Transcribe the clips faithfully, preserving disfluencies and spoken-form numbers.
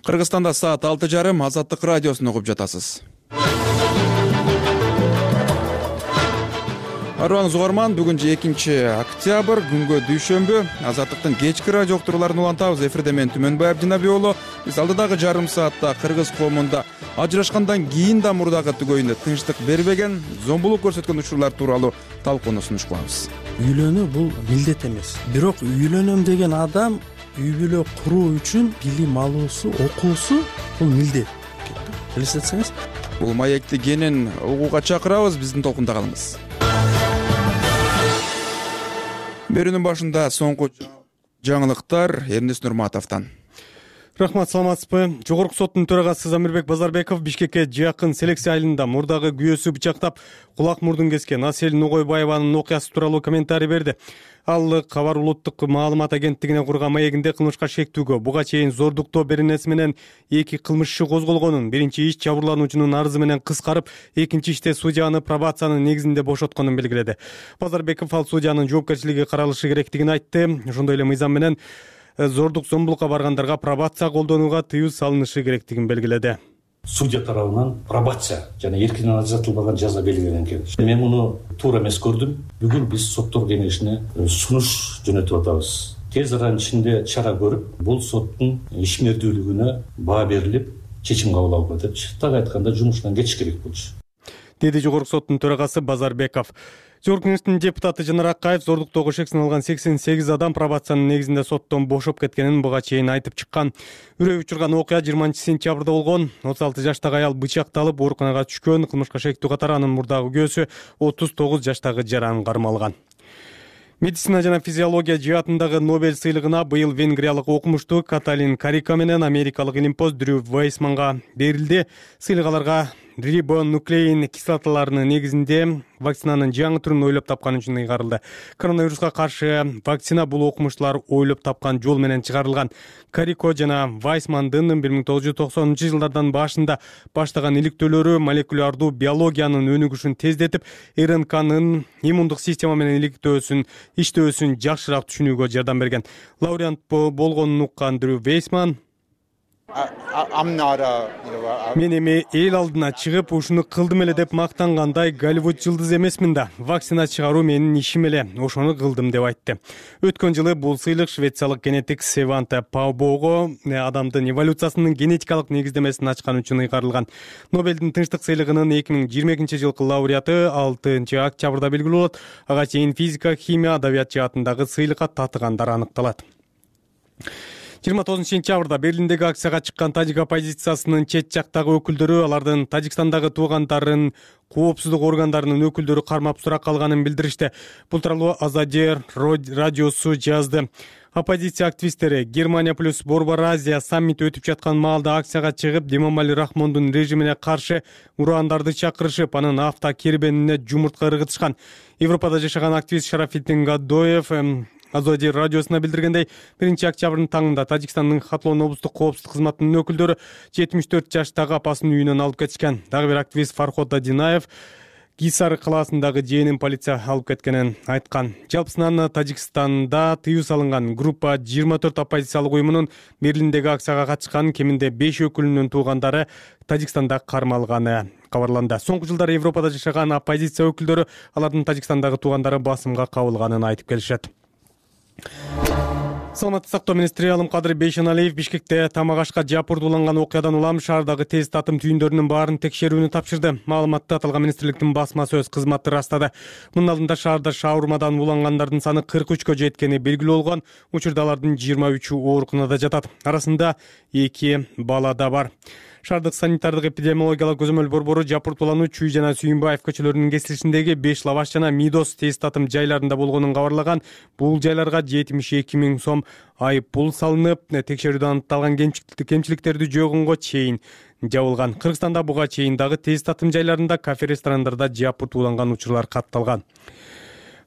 Кыргызстанда саат алты жарым Азаттык радиосун угуп жатасыз. Арбаңыз угарман, бүгүн экинчи октябрь, күнгө дүйшөмбү. Азаттыктын кечки радио уктурууларын улантабыз. Эфирде мен Түмөнбаев Жинабек уулу. Биз алдыдагы жарым саатта кыргыз коомунда ажырашкандан кийин да мурдагы түгөйүнө тынчтык бербеген, зомбулук көрсөткөн учурлар тууралуу талкууну сунуш кылабыз. Үйлөнүү бул милдет эмес. Бирок үйлөнөм деген адам үй бүлө куруу үчүн билим алуусу, окуусу бул милдет. Элестетсеңиз. Бул маекти кенен угууга чакырабыз, биздин толкунда калыңыз. Берүүнүн башында соңку жаңылыктар Эрнест Нурматовдон. Рахмат, саламатсызбы? Жогорку соттун төрагасы Замирбек Базарбеков Бишкекке жакын селекция айылында мурдагы күйөөсү бычактап, кулак мурдун кескен Асель Ногойбаеванын окуясы тууралуу комментарий берди. Ал Кабар улуттук маалымат агенттигине курган маегинде кылмышка шектүүгө, буга чейин зордуктоо беренеси менен эки кылмыш иши козголгонун, биринчи иш жабырлануучунун арызы менен кыскарып, экинчи иште судьяны пробациянын негизинде бошотконун белгиледи. Базарбеков ал судьянын жоопкерчилиги каралышы керектигин айтты. Ошондой эле мыйзам менен зордук зомбулукка баргандарга пробация колдонууга тыюу салынышы керектигин белгиледи. Судья тарабынан пробация жана эркинен ажыратылбаган жаза белгиленген экен. Мен муну туура эмес көрдүм. Бүгүн биз соттор кеңешине сунуш жөнөтүп атабыз. Тез аранын ичинде чара көрүп, бул соттун ишмердүүлүгүнө баа берилип, чечим кабыл алууга депчи. Так айтканда жумушунан кетиш керек болчу, деди жогорку соттун төрагасы Базарбеков. Жогорку кеңештин депутаты Жанар Акаев зордуктоого шек саналган сексен сегиз адам пробациянын негизинде соттон бошоп кеткенин буга чейин айтып чыккан. Үрөй учурган окуя жыйырманчы сентябрда болгон. отуз алты жаштагы аял бычакталып ооруканага түшкөн. Кылмышка шектүү катары анын мурдагы күйөөсү отуз тогуз жаштагы жаран кармалган. Медицина жана физиология жаатындагы Нобель сыйлыгына быйыл венгриялык окумуштуу Каталин Карика менен америкалык илимпоз Дрю Вейсманга берилди. Сыйлык аларга рибонуклеин кислоталарынын негизинде вакцинанын жаңы түрүн ойлоп тапкан үчүн ыйгарылды. Коронавируска каршы вакцина бул окумуштуулар ойлоп тапкан жол менен чыгарылган. Карико жана Вайсмандын бир миң тогуз жүз токсонунчу жылдардан башында баштаган иликтөөлөрү молекулярдуу биологиянын өнүгүшүн тездетип, РНКнын иммундук система менен иликтөөсүн, иштөөсүн жакшыраак түшүнүүгө жардам берген. Лауреат болгонун уккан Дрю Вейсман мен эми эл алдына чыгып ушуну кылдым эле деп мактангандай Голливуд жылдызы эмесмин да. Вакцина чыгаруу менин ишим эле, ошону кылдым деп айтты. Өткөн жылы бул сыйлык швециялык генетик Сванте Паубого адамдын эволюциясынын генетикалык негиздемесин ачкан үчүн ыйгарылган. Нобелдин тынчтык сыйлыгынын эки миң жыйырма экинчи жылкы лауреаты алтынчы октябрда белгилүү болот. Ага чейин физика, химия, адабият жаатындагы сыйлыкка татыгандар аныкталат. жыйырма тогузунчу сентябрда Берлиндеги акцияга чыккан тажик оппозициясынын чет жактагы өкүлдөрү алардын Тажикстандагы туугандарын коопсуздук органдарынын өкүлдөрү кармап суракка алганын билдиришти. Бул тууралуу Азадир радиосу жазды. Оппозиция активисттери Германия плюс Борбор Азия саммити өтүп жаткан маалда акцияга чыгып, Демомали Рахмондун режимине каршы урандарды чакырышып, анын автокербенине жумуртка ыргытышкан. Европада жашаган активист Шарафиддин Гадоев Азадир радиосуна билдиргендей, биринчи октябрдын таңында Тажикстандын Хатлон облустук коопсуздук кызматынын өкүлдөрү жетимиш төрт жаштагы апасын үйүнөн алып кетишкен. Дагы бир активист Фарход Дадинаев Гисар калаасындагы жээнин полиция алып кеткенин айткан. Жалпысынан Тажикстанда тыюу салынган группа жыйырма төрт оппозициялык уюмунун Берлиндеги акцияга катышкан кеминде беш өкүлүнүн туугандары Тажикстанда кармалганы кабарланды. Соңку жылдары Европада жашаган оппозиция өкүлдөрү алардын Тажикстандагы туугандары басымга кабылганын айтып келишет. Саламаттык сактоо министри Алымкадыр Бейшеналиев Бишкекте тамак ашка жапырдууланган окуядан улам шаардагы тест татым түйүндөрүнүн баарын текшерүүнү тапшырды. Маалыматты аталган министрликтин басма сөз кызматы ырастады. Мунун алдында шаарда шаурмадан улангандардын саны кырк үчкө жеткени белгилүү болгон. Учурда алардын жыйырма үчү ооруканада жатат. Арасында эки бала да бар. Шаардык санитардык эпидемиологиялык көзөмөл борбору жапыртуулануу Чүй жана Сүйүнбаев көчөлөрүнүн кесилишиндеги беш лаваш жана Мидос тест татым жайларында болгонун кабарлаган. Бул жайларга жетимиш эки миң сом айып пул салынып, текшерүүдө аныкталган кемчиликтерди жойгонго чейин жабылган. Кыргызстанда буга чейин дагы тест татым жайларында, кафе ресторандарда жапыртууланган учурлар катталган.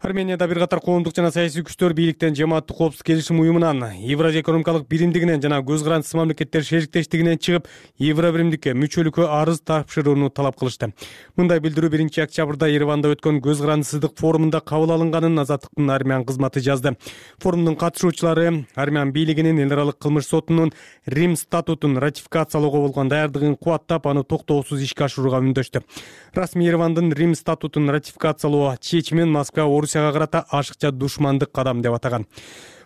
Арменияда бир катар коомдук жана саясий күчтөр бийликтен жамааттык коопсуздук келишим уюмунан, Евразия экономикалык биримдигинен жана көз карандысыз мамлекеттер шериктештигинен чыгып, Евробиримдикке мүчөлүккө арыз тапшырууну талап кылышты. Мындай билдирүү биринчи октябрда Ереванда өткөн көз карандысыздык форумунда кабыл алынганын Азаттыктын армян кызматы жазды. Форумдун катышуучулары армян бийлигинин эл аралык кылмыш сотунун Рим статутун ратификациялоого болгон даярдыгын кубаттап, аны токтоосуз ишке ашырууга үндөштү. Расмий Еревандын Рим статутун ратификациялоо чечимин Москва Орусияга карата ашыкча душмандык кадам деп атаган.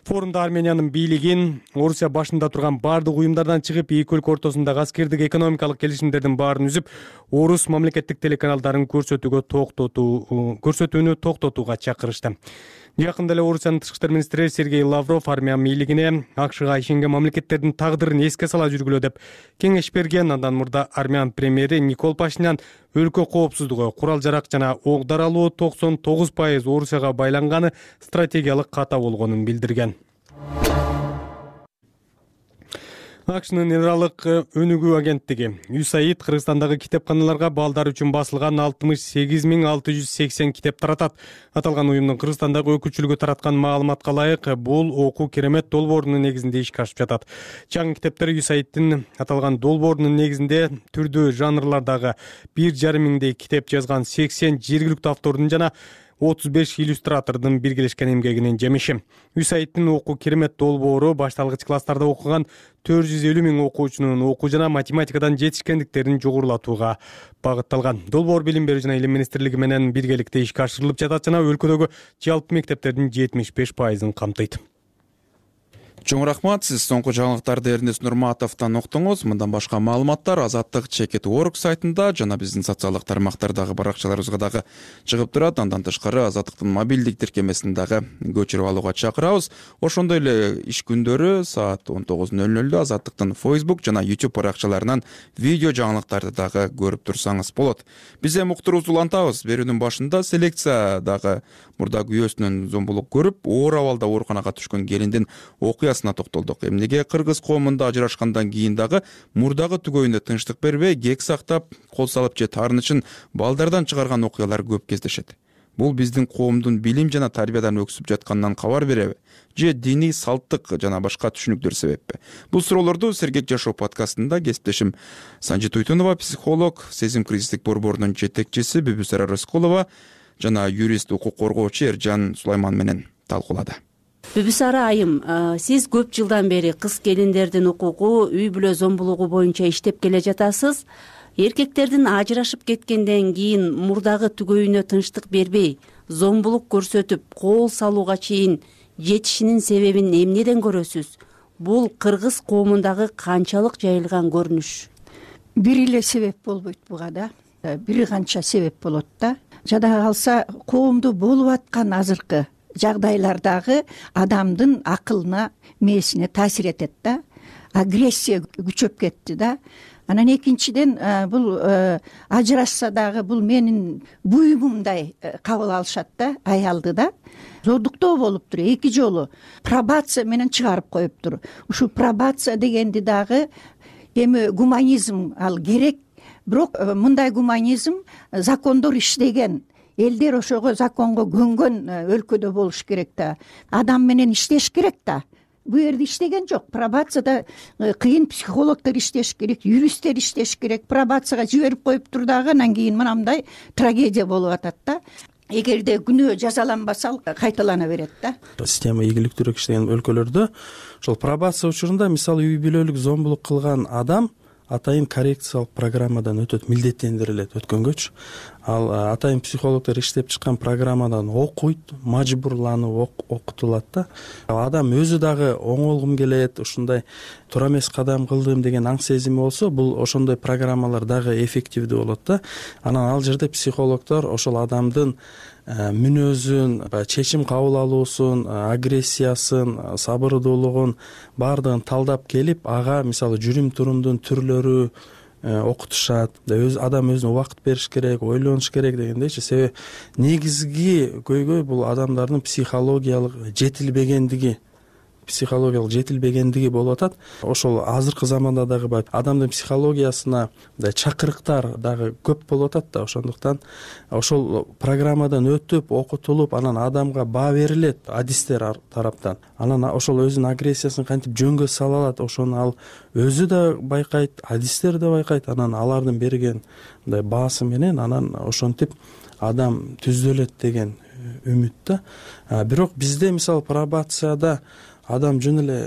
Форумда Армениянын бийлигин Орусия башында турган бардык уюмдардан чыгып, эки өлкө ортосундагы аскердик экономикалык келишимдердин баарын үзүп, орус мамлекеттик телеканалдарын көрсөтүүгө токтотуу көрсөтүүнү токтотууга чакырышты. Жакында эле Орусиянын тышкы иштер министри Сергей Лавров армян бийлигине АКШга ишенген мамлекеттердин тагдырын эске сала жүргүлө деп кеңеш берген. Андан мурда армян премьери Никол Пашинян өлкө коопсуздугу, курал жарак жана ок даралоо токсон тогуз пайыз Орусияга байланганы стратегиялык ката болгонун билдирген. АКШнын эл аралык өнүгүү агенттиги ю эс эй ай ди Кыргызстандагы китепканаларга балдар үчүн басылган алтымыш сегиз миң алты жүз сексен китеп таратат. Аталган уюмдун Кыргызстандагы өкүлчүлүгү тараткан маалыматка ылайык, бул окуу керемет долбоорунун негизинде ишке ашып жатат. Чаңы китептер ю эс эй ай дин аталган долбоорунун негизинде түрдүү жанрлардагы бир жарым миңдей китеп жазган сексен жергиликтүү автордун жана отуз беш иллюстратордун биргелешкен эмгегинин жемиши. ю эс эй ай дин окуу керемет долбоору башталгыч класстарда окуган төрт жүз элүү миң окуучунун окуу жана математикадан жетишкендиктерин жогорулатууга багытталган. Долбоор Билим берүү жана Илим министрлиги менен биргеликте ишке ашырылып жатат жана өлкөдөгү жалпы мектептердин жетимиш беш пайызын камтыйт. Чоң рахмат, сиз соңку жаңылыктарды Эрнест Нурматовдон уктуңуз. Мындан башка маалыматтар Азаттык чекит точка орг сайтында жана биздин социалдык тармактардагы баракчаларыбызга дагы чыгып турат. Андан тышкары Азаттыктын мобилдик тиркемесин дагы көчүрүп алууга чакырабыз. Ошондой эле иш күндөрү саат он тогуз ноль нолдо Азаттыктын Facebook жана YouTube баракчаларынан видео жаңылыктарды дагы көрүп турсаңыз болот. Биз эми уктуруубузду улантабыз. Берүүнүн башында селекция дагы мурда күйөөсүнөн зомбулук көрүп, оор абалда ооруканага түшкөн келиндин окуясына токтолдук. Эмнеге кыргыз коомунда ажырашкандан кийин дагы мурдагы түгөйүндө тынчтык бербей, кек сактап, кол салып же таарынычын балдардан чыгарган окуялар көп кездешет. Бул биздин коомдун билим жана тарбиядан өксүп жатканынан кабар береби? Же диний салттык жана башка түшүнүктөр себеппи? Бул суроолорду Сергек жашоо подкастында кесиптешим Санжи Туйтунова, психолог, сезим кризистик борборунун жетекчиси Бүбүсара Рыскулова жана юрист, укук коргоочу Эржан Сулайман менен талкуулады. Бүбүсара айым, сиз көп жылдан бери кыз келиндердин укугу, үй бүлө зомбулугу боюнча иштеп келе жатасыз. Эркектердин ажырашып кеткенден кийин мурдагы түгөйүнө тынчтык бербей, зомбулук көрсөтүп, кол салууга чейин жетишинин себебин эмнеден көрөсүз? Бул кыргыз коомундагы канчалык жайылган көрүнүш? Бир эле себеп болбойт буга да. Бир канча себеп болот да. Жада калса коомдо болуп аткан азыркы жагдайлардагы адамдын акылына, мээсине таасир этет да. Агрессия күчөп кетти да. Анан экинчиден бул ажырашса дагы бул менин буюмумдай кабыл алышат да, аялды да. Зордуктоо болуптур, эки жолу пробация менен чыгарып коюптур. Ушу пробация дегенди дагы эми гуманизм ал керек, бирок мындай гуманизм закондор иштеген. Элдер ошого законго көнгөн өлкөдө болуш керек да. Адам менен иштеш керек да. Бу жерде иштеген жок. Пробацияда кыйын психологдор иштеш керек, юристтер иштеш керек. Пробацияга жиберип коюптур дагы, анан кийин мынандай трагедия болуп атат да. Эгерде күнөө жазаланбаса, кайталана берет да. Система ийгиликтүүрөөк иштеген өлкөлөрдө ошол пробация учурунда мисалы үй бүлөлүк зомбулук кылган адам атайын коррекциялык программадан өтөт, милдеттендирилет өткөнгөчү. Ал атайын психологдор иштеп чыккан программадан окуйт, мажбурланып окутулат да. Адам өзү дагы оңолгум келет, ушундай туура эмес кадам кылдым деген аң сезими болсо, бул ошондой программалар дагы эффективдүү болот да. Анан ал жерде психологдор ошол адамдын мүнөзүн, чечим кабыл алуусун, агрессиясын, сабырдуулугун баардыгын талдап келип, ага мисалы жүрүм турумдун түрлөрү окутушат. Өз адам өзүнө убакыт бериш керек, ойлонуш керек дегендейчи. Себеби негизги көйгөй бул адамдардын психологиялык жетилбегендиги психологиялык жетилбегендиги болуп атат. Ошол азыркы заманда дагы баягы адамдын психологиясына мындай чакырыктар дагы көп болуп атат да. Ошондуктан ошол программадан өтүп окутулуп анан адамга баа берилет адистер тараптан. Анан ошол өзүнүн агрессиясын кантип жөнгө сала алат, ошону ал өзү да байкайт, адистер да байкайт. Анан алардын берген мындай баасы менен анан ошентип адам түзөлөт деген үмүт да. Бирок бизде мисалы пробацияда адам жөн эле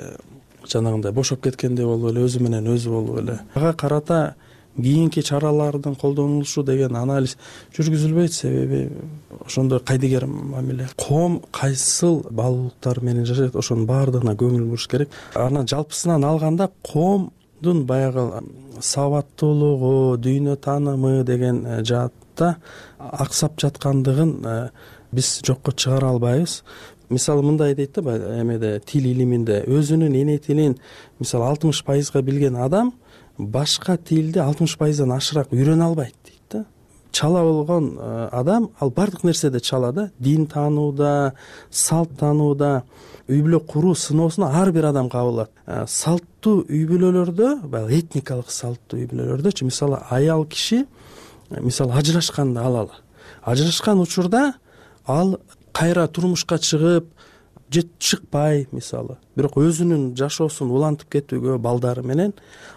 жанагындай бошоп кеткендей болуп эле өзү менен өзү болуп эле ага карата кийинки чаралардын колдонулушу деген анализ жүргүзүлбөйт. Себеби ошондой кайдыгер мамиле. Коом кайсыл баалуулуктар менен жашайт, ошонун баардыгына көңүл буруш керек. Анан жалпысынан алганда коомдун баягы сабаттуулугу, дүйнө таанымы деген жаатта аксап жаткандыгын биз жокко чыгара албайбыз. Мисалы мындай дейт да эмеде тил илиминде өзүнүн эне тилин мисалы алтымыш пайызга билген адам башка тилди алтымыш пайыздан ашыраак үйрөнө албайт дейт да. Чала болгон адам ал бардык нерседе чала да. Дин таанууда, салт таанууда, үй бүлө куруу сыноосуна ар бир адам кабылат. Салттуу үй бүлөлөрдө, баягы этникалык салттуу үй бүлөлөрдөчү мисалы аял киши мисалы ажырашканды алалы. Ажырашкан учурда ал кайра турмушка чыгып же чыкпай мисалы, бирок өзүнүн жашоосун улантып кетүүгө балдары менен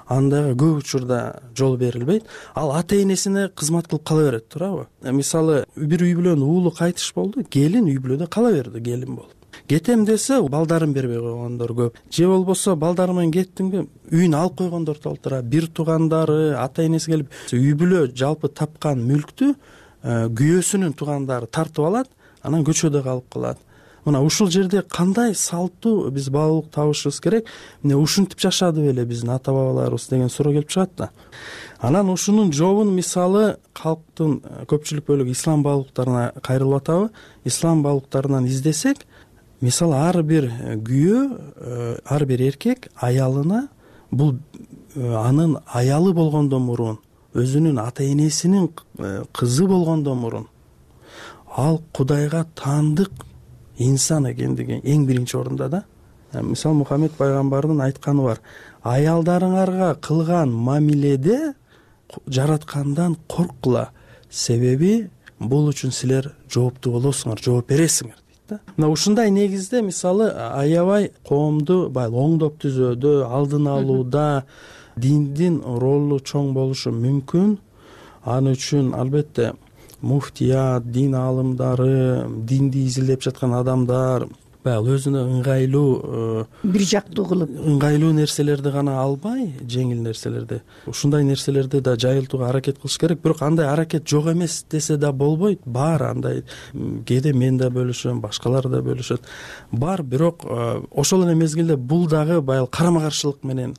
андайга көп учурда жол берилбейт. Ал ата энесине кызмат кылып кала берет, туурабы? Мисалы бир үй бүлөнүн уулу кайтыш болду, келин үй бүлөдө кала берди келин болуп. Кетем десе балдарын бербей койгондор көп. Же болбосо балдары менен кеттиңби үйүн алып койгондор толтура. Бир туугандары, ата энеси келип үй бүлө жалпы тапкан мүлктү күйөөсүнүн туугандары тартып алат, анан көчөдө калып калат. Мына ушул жерде кандай салттуу биз баалуулук табышыбыз керек? Эмне ушинтип жашады беле биздин ата бабаларыбыз деген суроо келип чыгат да. Анан ушунун жообун мисалы калктын көпчүлүк бөлүгү ислам баалуулуктарына кайрылып атабы? Ислам баалуулуктарынан издесек, мисалы ар бир күйөө, ар бир эркек аялына бул анын аялы болгондон мурун, өзүнүн ата энесинин кызы болгондон мурун ал Кудайга таандык инсан экендиги эң биринчи орунда да. Мисалы Мухаммед пайгамбардын айтканы бар. Аялдарыңарга кылган мамиледе жараткандан корккула, себеби бул үчүн силер жооптуу болосуңар, жооп бересиңер дейт да. Мына ушундай негизде мисалы аябай коомду баягы оңдоп түзүүдө, алдын алууда диндин ролу чоң болушу мүмкүн. Аны үчүн албетте муфтият, дин аалымдары, динди изилдеп жаткан адамдар баягы өзүнө ыңгайлуу бир жактуу кылып ыңгайлуу нерселерди гана албай, жеңил нерселерди, ушундай нерселерди да жайылтууга аракет кылыш керек. Бирок андай аракет жок эмес десе да болбойт. Бар андай, кээде мен да бөлүшөм, башкалар да бөлүшөт. Бар, бирок ошол эле мезгилде бул дагы баягы карама каршылык менен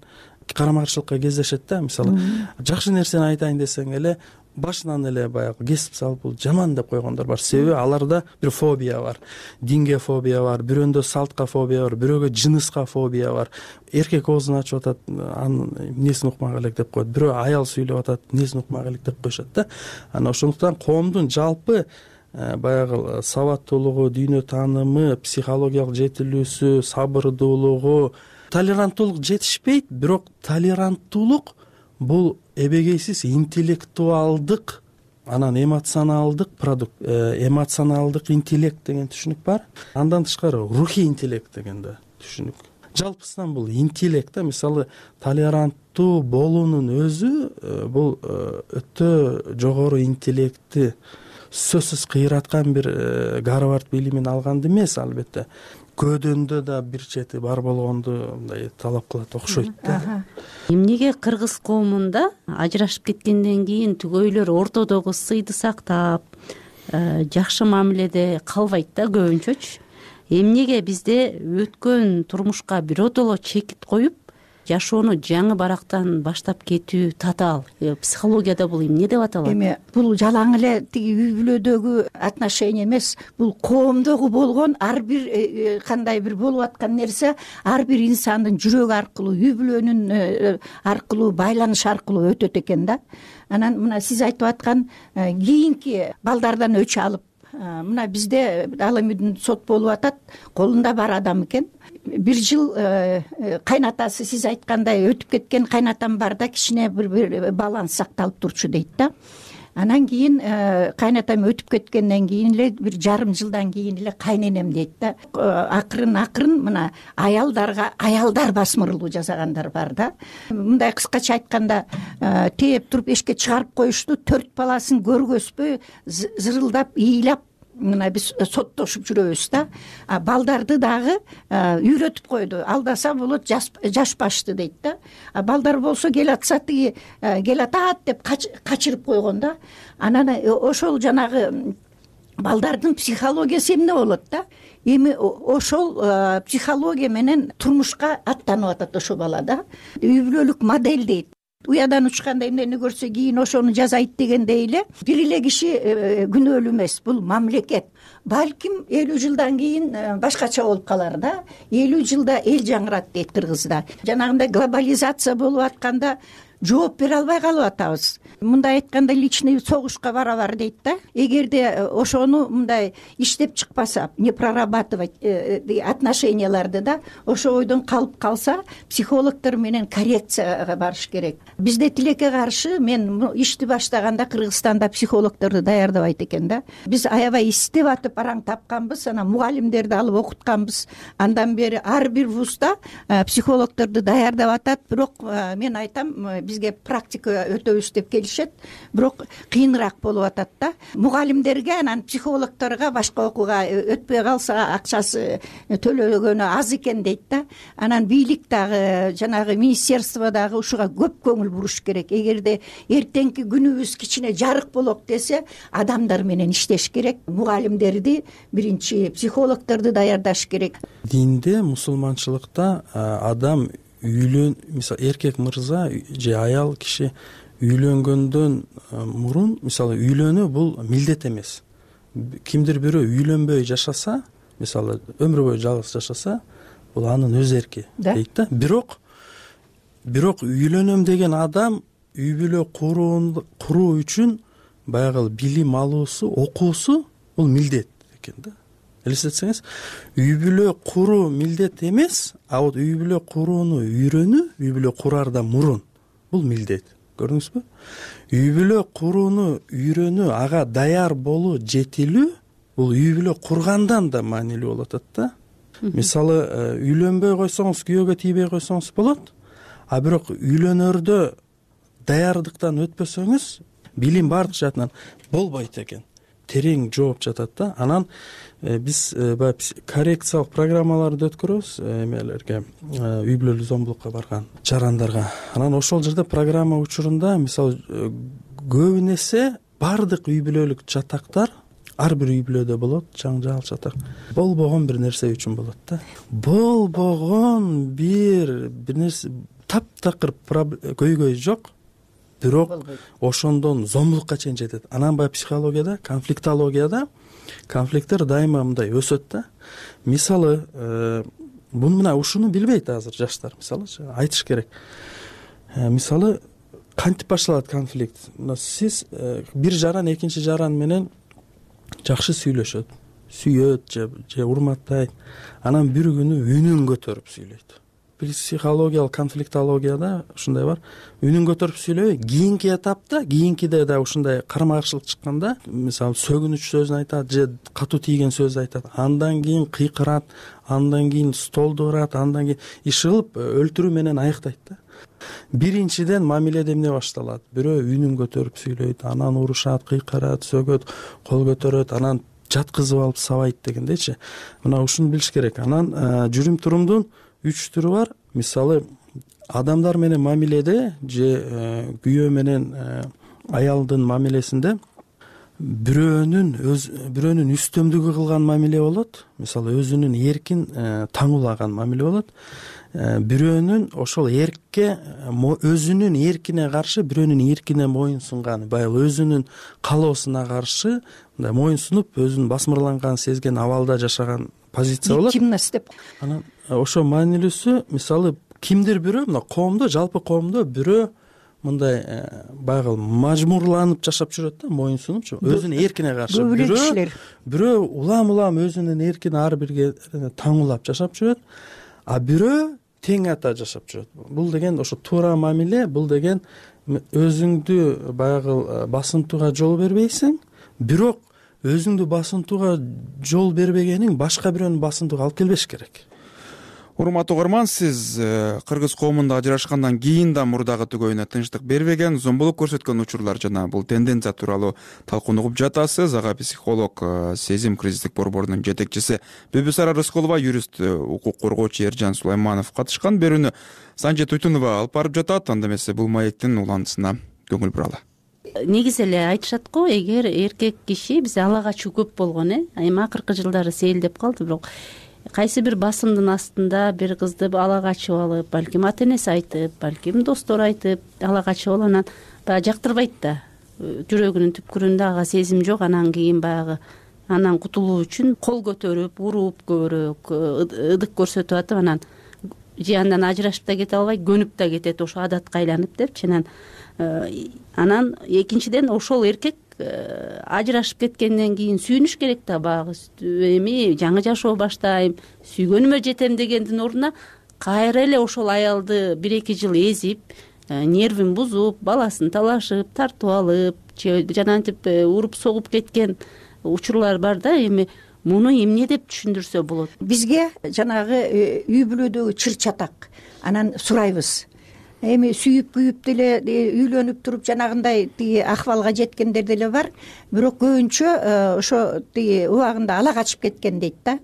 карама каршылыкка кездешет да. Мисалы жакшы нерсени айтайын десең эле башынан эле баягы кесип салып бул жаман деп койгондор бар. Себеби аларда бир фобия бар. Динге фобия бар, бирөөндө салтка фобия бар, бирөөгө жыныска фобия бар. Эркек оозун ачып атат, анын эмнесин укмак элек деп коет. Бирөө аял сүйлөп атат, эмнесин укмак элек деп коюшат да. Анан ошондуктан коомдун жалпы баягы сабаттуулугу, дүйнө таанымы, психологиялык жетилүүсү, сабырдуулугу, толеранттуулук жетишпейт, бирок толеранттуулук бул эбегейсиз интеллектуалдык, анан эмоционалдык продукт, эмоционалдык интеллект деген түшүнүк бар. Андан тышкары рухий интеллект деген да түшүнүк. Жалпысынан бул интеллект да, мисалы толеранттуу болуунун өзү бул өтө жогору интеллектти сөзсүз кыйраткан бир Гарвард билимин алганды эмес, албетте. Көөдөндө да бир чети бар болгонду мындай талап кылат окшойт да. Эмнеге кыргыз коомунда ажырашып кеткенден кийин түгөйлөр ортодогу сыйды сактап, жакшы мамиледе калбайт да көбүнчөчү? Эмнеге бизде өткөн турмушка биротоло чекит коюп, жашоону жаңы барактан баштап кетүү татаал? Психологияда бул эмне деп аталат? Эми бул жалаң эле тиги үй бүлөдөгү отношения эмес, бул коомдогу болгон ар бир кандай бир болуп аткан нерсе ар бир инсандын жүрөгү аркылуу, үй бүлөнүн аркылуу, байланыш аркылуу өтөт экен да. Анан мына сиз айтып аткан кийинки балдардан өч алып мына бизде ал эми сот болуп атат, колунда бар адам экен. Бир жыл кайнатасы сиз айткандай өтүп кеткен кайнатам бар да, кичине бир баланс сакталып турчу дейт да. Анан кийин кайнатам өтүп кеткенден кийин эле бир жарым жылдан кийин эле кайненем дейт да. Акырын акырын мына аялдарга аялдар басмырлуу жасагандар бар да. Мындай кыскача айтканда, тээп туруп эшикке чыгарып коюшту, төрт баласын көргөзбөй зырылдап ыйлап мына биз соттошуп жүрөбүз да. Балдарды дагы үйрөтүп койду. Алдаса болот, жашпашты дейт да. Балдар болсо келатса тиги келатат деп качырып койгон да. Анан ошол жанагы балдардын психологиясы эмне болот да. Эми ошол психология менен турмушка аттанып атат ошо бала да. Үй бүлөлүк модель дейт. Уядан учканда эмнени көрсө кийин ошону жасайт дегендей эле бир эле киши күнөөлүү эмес, бул мамлекет. Балким элүү жылдан кийин башкача болуп калар да. элүү жылда эл жаңырат дейт кыргызда. Жанагындай глобализация болуп атканда жооп бере албай калып атабыз. Мындай айтканда личный согушка барабар дейт да. Эгерде ошону мындай иштеп чыкпаса, не прорабатывать отношенияларды да, ошо ойдон калып калса, психологдор менен коррекцияга барыш керек. Бизде тилекке каршы мен ишти баштаганда Кыргызстанда психологдорду даярдабайт экен да. Биз аябай издеп атып араң тапканбыз, анан мугалимдерди алып окутканбыз. Андан бери ар бир вузда психологдорду даярдап атат, бирок мен айтам, бизге практика өтөбүз деп келишет, бирок кыйыныраак болуп атат да. Мугалимдерге анан психологдорго башка окууга өтпөй калса акчасы төлөгөнү аз экен дейт да. Анан бийлик дагы, жанагы министерство дагы ушуга көп көңүл буруш керек. Эгерде эртеңки күнүбүз кичине жарык болок десе, адамдар менен иштеш керек. Мугалимдерди, биринчи психологдорду даярдаш керек. Динде, мусулманчылыкта адам үйлөн, мисалы эркек мырза же аял киши үйлөнгөндөн мурун, мисалы үйлөнүү бул милдет эмес. Кимдир бирөө үйлөнбөй жашаса, мисалы өмүр бою жалгыз жашаса, бул анын өз эрки дейт да. Бирок бирок үйлөнөм деген адам үй бүлө куруу үчүн баягы билим алуусу, окуусу бул милдет экен да. Элестетсеңиз, үй бүлө куруу милдет эмес, а вот үй бүлө курууну үйрөнүү, үй бүлө кураардан мурун бул милдет. Көрдүңүзбү? Үй бүлө курууну үйрөнүү, ага даяр болуу, жетилүү бул үй бүлө кургандан да маанилүү болуп атат да. Мисалы, үйлөнбөй койсоңуз, күйөөгө тийбей койсоңуз болот, а бирок үйлөнөрдө даярдыктан өтпөсөңүз, билим бардык жаатынан болбойт экен. Терең жооп жатат да. Анан биз баягы коррекциялык программаларды өткөрөбүз эмелерге, үй бүлөлүк зомбулукка барган жарандарга. Анан ошол жерде программа учурунда, мисалы, көбүн эсе бардык үй бүлөлүк жатактар ар бир үй бүлөдө болот, жаңжал жатак. Болбогон бир нерсе үчүн болот да. Болбогон бир бир нерсе таптакыр көйгөй жок. Бирок ошондон зомбулукка чейин жетет. Анан баягы психологияда, конфликтологияда конфликттер дайыма мындай өсөт да. Мисалы, буну мына ушуну билбейт азыр жаштар, мисалы, айтыш керек. Мисалы, кантип башталат конфликт? Сиз бир жаран экинчи жаран менен жакшы сүйлөшөт, сүйөт же, же урматтайт. Анан бир күнү үнүн көтөрүп сүйлөйт. Психологиялык конфликтологияда ушундай бар. Үнүн көтөрүп сүйлөбөй, кийинки этапта, кийинкиде да ушундай карама каршылык чыкканда, мисалы, сөгүнүч сөзүн айтат же катуу тийген сөз айтат. Андан кийин кыйкырат, андан кийин столду урат, андан кийин иш кылып өлтүрүү менен аяктайт да. Биринчиден мамиледе эмне башталат? Бирөө үнүн көтөрүп сүйлөйт, анан урушат, кыйкырат, сөгөт, кол көтөрөт, анан жаткызып алып сабайт дегендейчи. Мына ушуну билиш керек. Анан жүрүм турумдун үч түрү бар. Мисалы, адамдар менен мамиледе же күйөө менен аялдын мамилесинде бирөөнүн өз бирөөнүн үстөмдүгү кылган мамиле болот. Мисалы, өзүнүн эркин таңуулаган мамиле болот. Бирөөнүн ошол эркке, өзүнүн эркине каршы бирөөнүн эркине моюн сунган, баягы өзүнүн каалоосуна каршы мындай моюн сунуп, өзүнүн басмырланганын сезген абалда жашаган позиция болот. Виктимность деп. Анан ошо маанилүүсү, мисалы, кимдир бирөө, мына коомдо, жалпы коомдо бирөө мындай баягы мажмурланып жашап жүрөт да, моюн сунупчу, өзүнүн эркине каршы. Көп эле кишилер бирөө улам улам өзүнүн эркин ар бирге таңуулап жашап жүрөт, а бирөө тең ата жашап жүрөт. Бул деген ошо туура мамиле, бул деген өзүңдү баягы басынтууга жол бербейсиң, бирок өзүңдү басынтууга жол бербегениң башка бирөөнү басынтууга алып келбеш керек. Урматтуу угарман, сиз кыргыз коомунда ажырашкандан кийин да мурдагы түгөйүнө тынчтык бербеген, зомбулук көрсөткөн учурлар жана бул тенденция тууралуу талкууну угуп жатасыз. Ага психолог, Сезим кризистик борборунун жетекчиси Бүбүсара Рыскулова, юрист, укук коргоочу Эржан Сулайманов катышкан. Берүүнү Санжет Туйтунова алып барып жатат. Анда эмесе бул маектин уландысына көңүл буралы. Негизи эле айтышат го, эгер эркек киши бизде ала качуу көп болгон, э эми акыркы жылдары сейилдеп калды, бирок кайсы бир басымдын астында бир кызды ала качып алып, балким ата энеси айтып, балким достору айтып ала качып алып, анан баягы жактырбайт да, жүрөгүнүн түпкүрүндө ага сезим жок. Анан кийин баягы анан кутулуу үчүн кол көтөрүп, уруп, көбүрөөк ыдык көрсөтүп атып, анан же андан ажырашып да кете албайт, көнүп да кетет, ошо адатка айланып депчи. Анан анан экинчиден ошол эркек ажырашып кеткенден кийин сүйүнүш керек да, баягы эми жаңы жашоо баштайм, сүйгөнүмө жетем дегендин ордуна кайра эле ошол аялды бир эки жыл эзип, нервин бузуп, баласын талашып, тартып алып, же жанагынтип уруп согуп кеткен учурлар бар да. Эми муну эмне деп түшүндүрсө болот? Бизге жанагы үй бүлөдөгү чыр чатак анан сурайбыз. Эми сүйүп күйүп деле үйлөнүп туруп жанагындай тиги акыбалга жеткендер деле бар, бирок көбүнчө ошо тиги убагында ала качып кеткен дейт да.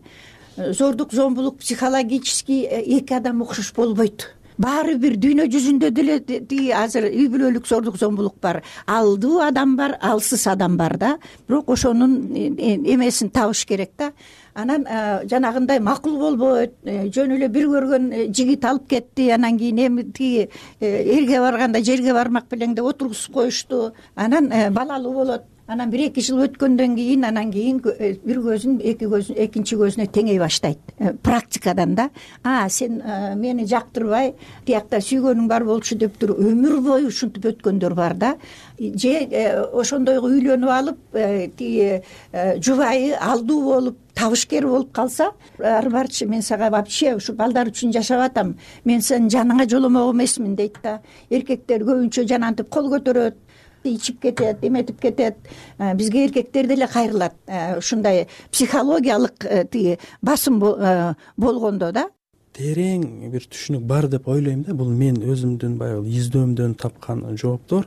Зордук, зомбулук психологический эки адам окшош болбойт. Баары бир дүйнө жүзүндө деле тиги азыр үй бүлөлүк зордук, зомбулук бар. Алдуу адам бар, алсыз адам бар да. Бирок ошонун эмесин табыш керек да. Анан жанагындай макул болбойт, жөн эле бир көргөн жигит алып кетти, анан кийин эми тиги элге барганда жерге бармак белең деп отургузуп коюшту. Анан балалуу болот. Анан бир эки жыл өткөндөн кийин анан кийин бир көзүн эки көзүн экинчи көзүнө теңей баштайт. Практикадан да, а сен мени жактырбай, тиякта сүйгөнүң бар болчу деп туруп өмүр бою ушинтип өткөндөр бар да. Же ошондойго үйлөнүп алып, тиги жубайы алдуу болуп, табышкер болуп калса, ары барчы мен сага вообще ушу балдар үчүн жашап атам, мен сенин жаныңа жоломок эмесмин дейт да. Эркектер көбүнчө жанагынтип кол көтөрөт, ичип кетет, эметип кетет. Бизге эркектер деле кайрылат. Ушундай психологиялык тиги басым болгондо да. Терең бир түшүнүк бар деп ойлойм да. Бул мен өзүмдүн баягы издөөмдөн тапкан жооптор.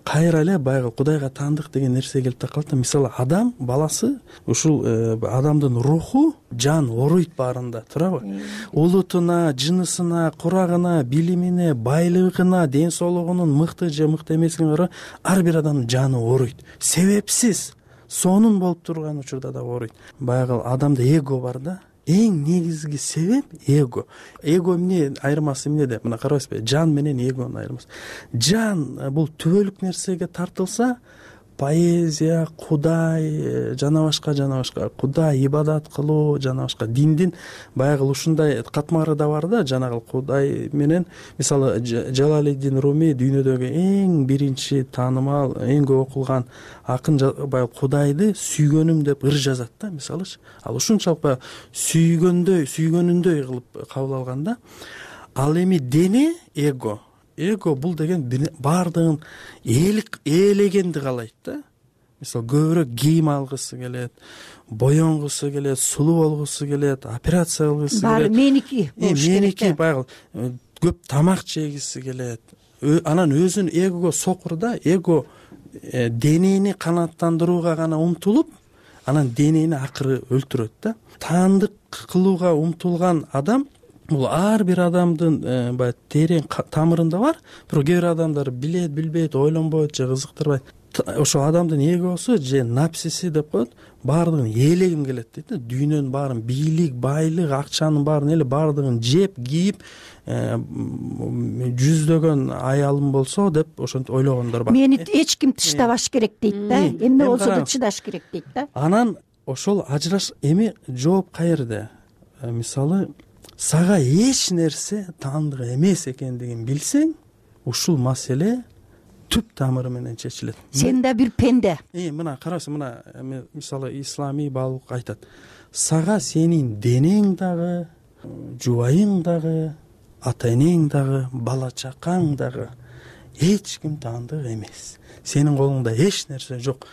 Кайра эле баягы Кудайга таандык деген нерсе келип такалат да. Мисалы адам баласы, ушул адамдын руху, жан оруйт баарында, туурабы? Улутуна, жынысына, курагына, билимине, байлыгына, ден соолугунун мыкты же мыкты эмесине карап ар бир адамдын жаны оруйт. Себепсиз сонун болуп турган учурда да оруйт. Баягы адамда эго бар да. Эң негизги себеп эго. Эго эмне айырмасы эмнеде? Мына карабайсызбы? Жан менен эгонун айырмасы. Жан бул түбөлүк нерсеге тартылса, поэзия, Кудай, жана башка жана башка, Кудай ибадат кылуу, жана башка диндин баягы ушундай катмары да бар да. Жанагы Кудай менен, мисалы Жалалиддин Руми дүйнөдөгү эң биринчи таанымал, эң көп окулган акын баягы Кудайды сүйгөнүм деп ыр жазат да, мисалычы. Ал ушунчалык баягы сүйгөндөй, сүйгөнүндөй кылып кабыл алган да. Ал эми дене эго. Эго бул деген баардыгын ээлегенди каалайт да. Мисалы көбүрөөк кийим алгысы келет, боёнгусу келет, сулуу болгусу келет, операция кылгысы келет. Баары меники болуш керек. Меники баягы көп тамак жегиси келет. Анан өзүн эгого сокур да. Эго денени канааттандырууга гана умтулуп, анан денени акыры өлтүрөт да. Таандык кылууга умтулган адам бул ар бир адамдын баягы терең тамырында бар. Бирок кээ бир адамдар билет, билбейт, ойлонбойт же кызыктырбайт. Ошо адамдын эгосу же напсиси деп коет, баардыгын ээлегим келет дейт да. Дүйнөнүн баарын, бийлик, байлык, акчанын баарын эле баардыгын жеп, кийип, жүздөгөн аялым болсо деп ошентип ойлогондор бар. Мени эч ким тыштабаш керек дейт да. Эмне болсо да чыдаш керек дейт да. Анан ошол ажыраш эми жооп каерде? Мисалы сага эч нерсе таандык эмес экендигин билсең, ушул маселе түп тамыры менен чечилет. Сен да бир пенде. Э мына караңыз, мына мисалы исламий баалык айтат: сага сенин денең дагы, жубайың дагы, ата энең дагы, бала чакаң дагы эч ким таандык эмес. Сенин колуңда эч нерсе жок.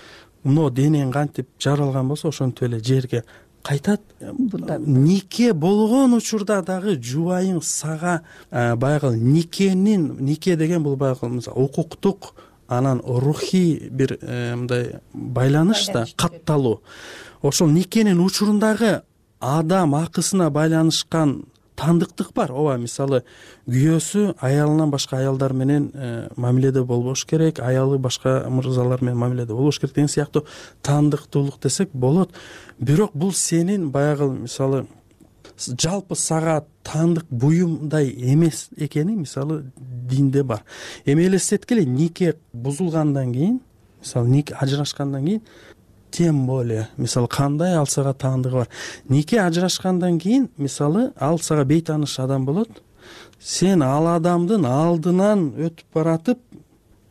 Мына денең кантип жаралган болсо ошентип эле жерге кайтат. Нике болгон учурда дагы жубайың сага баягы никенин, нике деген бул баягы укуктук, анан рухий бир мындай байланыш да, катталуу. Ошол никенин учурундагы адам акысына байланышкан таандыктык бар. Ооба, мисалы күйөөсү аялынан башка аялдар менен мамиледе болбош керек, аялы башка мырзалар менен мамиледе болбош керек деген сыяктуу таандыктуулук десек болот. Бирок бул сенин баягы мисалы жалпы сага таандык буюмдай эмес экени мисалы динде бар. Эми элестеткиле, нике бузулгандан кийин, мисалы нике ажырашкандан кийин, тем более мисалы кандай ал сага таандыгы бар. Нике ажырашкандан кийин мисалы ал сага бейтааныш адам болот. Сен ал адамдын алдынан өтүп баратып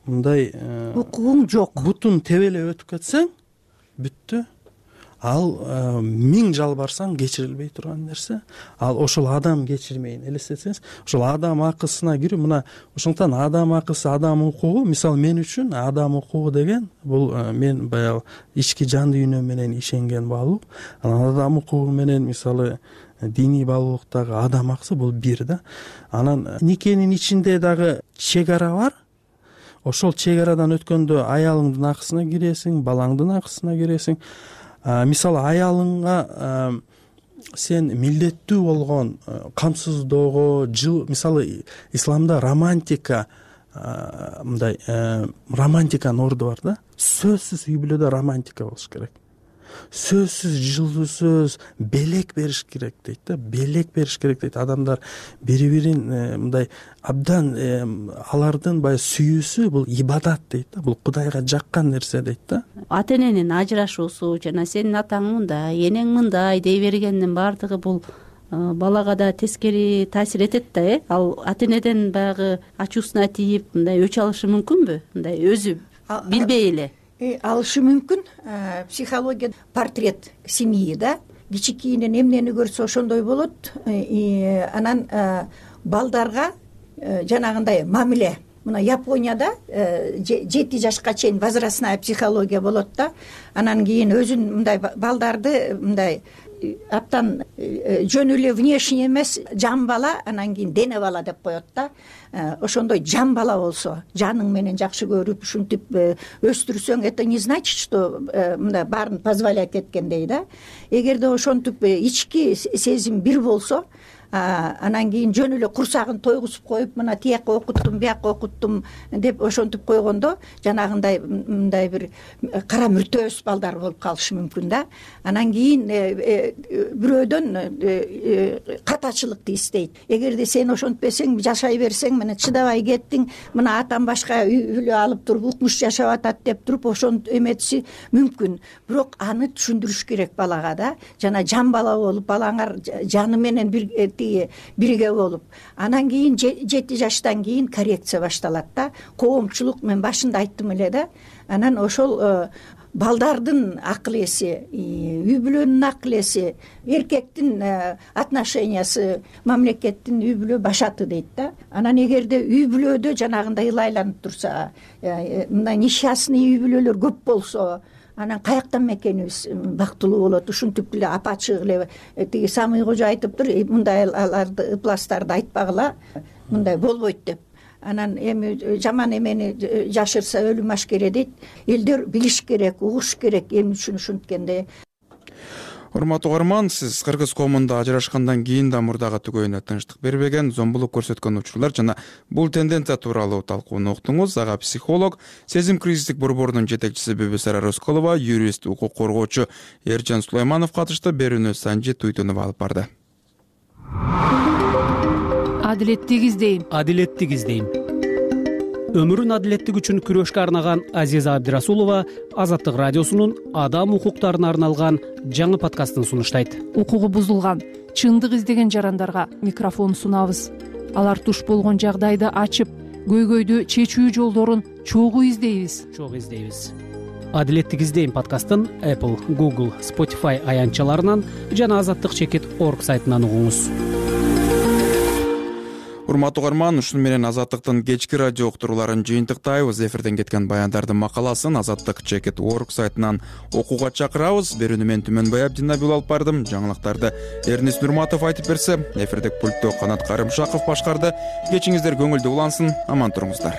мындай укугуң жок, бутун тебелеп өтүп кетсең бүттү. Ал миң жалбарсаң кечирилбей турган нерсе. Ал ошол адам кечирмейин элестетсеңиз, ошол адам акысына кирүү. Мына ошондуктан адам акысы, адам укугу, мисалы мен үчүн адам укугу деген бул мен баягы ички жан дүйнөм менен ишенген баалуу. Анан адам укугу менен мисалы диний баалуулуктагы адам акысы бул бир да. Анан никенин ичинде дагы чек ара бар. Ошол чек арадан өткөндө аялыңдын акысына киресиң, балаңдын акысына киресиң. Мисалы аялыңа сен милдеттүү болгон камсыздоого, жыл, мисалы исламда романтика, мындай романтиканын орду бар да. Сөзсүз үй бүлөдө романтика болуш керек. Сөзсүз, жылуусуз белек бериш керек дейт да. Белек бериш керек дейт. Адамдар бири-бирин мындай абдан алардын баягы сүйүүсү бул ибадат дейт да. Бул Кудайга жаккан нерсе дейт да. Ата эненин ажырашуусу жана сенин атаң мындай, энең мындай дей бергендин баардыгы бул балага да тескери таасир этет да, э? Ал ата энеден баягы ачуусуна тийип мындай өч алышы мүмкүнбү? Мындай өзү билбей эле. Алышы мүмкүн. Психология портрет семьи да. Кичикейинен эмнени көрсө ошондой болот. Анан балдарга жанагындай мамиле. Мына Японияда жети жашка чейин возрастная психология болот да. Анан кийин өзүн мындай балдарды мындай аптан жөн эле внешний эмес, жан бала, анан кийин дене бала деп коет да. Ошондой жан бала болсо, жаның менен жакшы көрүп, ушинтип өстүрсөң, это не значит, что мындай баарын позволять эткендей да. Эгерде ошентип ички сезим бир болсо, анан кийин жөн эле курсагын тойгузуп коюп, мына тияка окуттум, бияка окуттум деп ошентип койгондо жанагындай мындай бир кара мүртөөс балдар болуп калышы мүмкүн да. Анан кийин бирөөдөн катачылыкты истейт. Эгерде сен ошентпесең, жашай берсең, мына чыдабай кеттиң, мына атам башка үй бүлө алып туруп укмуш жашап атат деп туруп ошонт эметиши мүмкүн. Бирок аны түшүндүрүш керек балага да. Жана жан бала болуп, балаңар жаны менен бир бирге болуп, анан кийин жети жаштан кийин коррекция башталат да. Коомчулук, мен башында айттым эле да. Анан ошол балдардын акыл эси, үй бүлөнүн акыл эси, эркектин отношениясы, мамлекеттин үй бүлө башаты дейт да. Анан эгерде үй бүлөдө жанагындай ылайланып турса, мындай несчастный үй бүлөлөр көп болсо, анан каяктан мекенибиз бактылуу болот. Ушинтип эле апачык эле тиги Самый кожо айтыптыр, мындай аларды, ыпластарды айтпагыла, мындай болбойт деп. Анан эми жаман эмени жашырса өлүм ашкере дейт. Элдер билиш керек, угуш керек эмне үчүн ушинткенде. Урматтуу угарман, сиз кыргыз коомунда ажырашкандан кийин да мурдагы түгөйүнө тынчтык бербеген, зомбулук көрсөткөн учурлар жана бул тенденция тууралуу талкууну уктуңуз. Ага психолог, сезим кризистик борборунун жетекчиси Бүбүсара Рыскулова, юрист, укук коргоочу Эржан Сулайманов катышты. Берүүнү Санжи Туйтунов алып барды. Адилеттик издейм. Адилеттик издейм. Өмүрүн адилеттик үчүн күрөшкө арнаган Азиза Абдирасулова Азаттык радиосунун адам укуктарына арналган жаңы подкастын сунуштайт. Укугу бузулган, чындык издеген жарандарга микрофон сунабыз. Алар туш болгон жагдайды ачып, көйгөйдү чечүү жолдорун чогуу издейбиз чогуу издейбиз. Адилеттик издейм подкастын Apple, Google, Spotify аянтчаларынан жана азаттык чекит орг сайтынан угуңуз. Урматтуу угарман, ушуну менен Азаттыктын кечки радио уктурууларын жыйынтыктайбыз. Эфирден кеткен баяндардын макаласын азаттык чекит орг сайтынан окууга чакырабыз. Берүүнү мен Түмөнбай Абдинабиул алып бардым. Жаңылыктарды Эрнис Нурматов айтып берсе, эфирдик пульттө Канат Карымшаков башкарды. Кечиңиздер көңүлдүү улансын, аман туруңуздар.